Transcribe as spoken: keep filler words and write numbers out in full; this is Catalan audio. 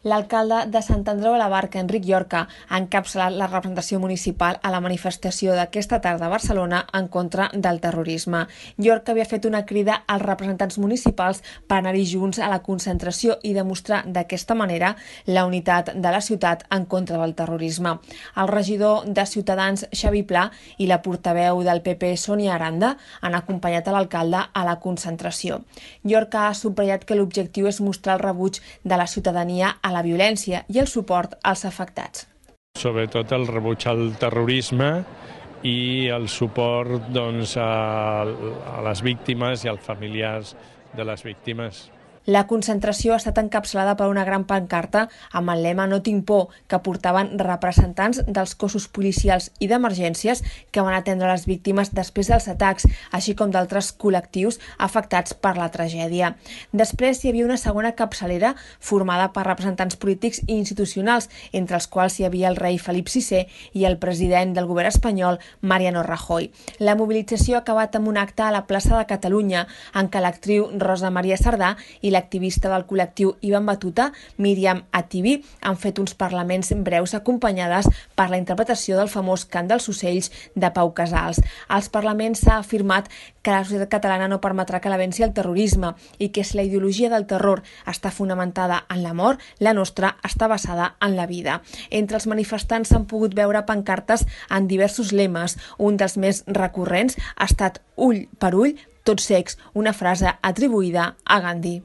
L'alcalde de Sant Andreu de la Barca, Enric Llorca, ha encapçalat la representació municipal a la manifestació d'aquesta tarda a Barcelona en contra del terrorisme. Llorca havia fet una crida als representants municipals per anar-hi junts a la concentració i demostrar d'aquesta manera la unitat de la ciutat en contra del terrorisme. El regidor de Ciutadans, Xavi Pla, i la portaveu del P P, Sònia Aranda, han acompanyat a l'alcalde a la concentració. Llorca ha subratllat que l'objectiu és mostrar el rebuig de la ciutadania a la violència i el suport als afectats. Sobretot el rebuig al terrorisme i el suport doncs, a, a les víctimes i als familiars de les víctimes. La concentració ha estat encapçalada per una gran pancarta amb el lema "No tinc por", que portaven representants dels cossos policials i d'emergències que van atendre les víctimes després dels atacs, així com d'altres col·lectius afectats per la tragèdia. Després hi havia una segona capçalera formada per representants polítics i institucionals, entre els quals hi havia el rei Felip sisè i el president del govern espanyol, Mariano Rajoy. La mobilització ha acabat amb un acte a la plaça de Catalunya, en què l'actriu Rosa Maria Sardà i l'activista del col·lectiu Ivan Batuta, Míriam Ativi, han fet uns parlaments breus acompanyades per la interpretació del famós cant dels ocells de Pau Casals. Als parlaments s'ha afirmat que la societat catalana no permetrà que la venci el terrorisme i que si la ideologia del terror està fonamentada en l'amor, la nostra està basada en la vida. Entre els manifestants s'han pogut veure pancartes en diversos lemes. Un dels més recurrents ha estat "Ull per ull, tots cecs", una frase atribuïda a Gandhi.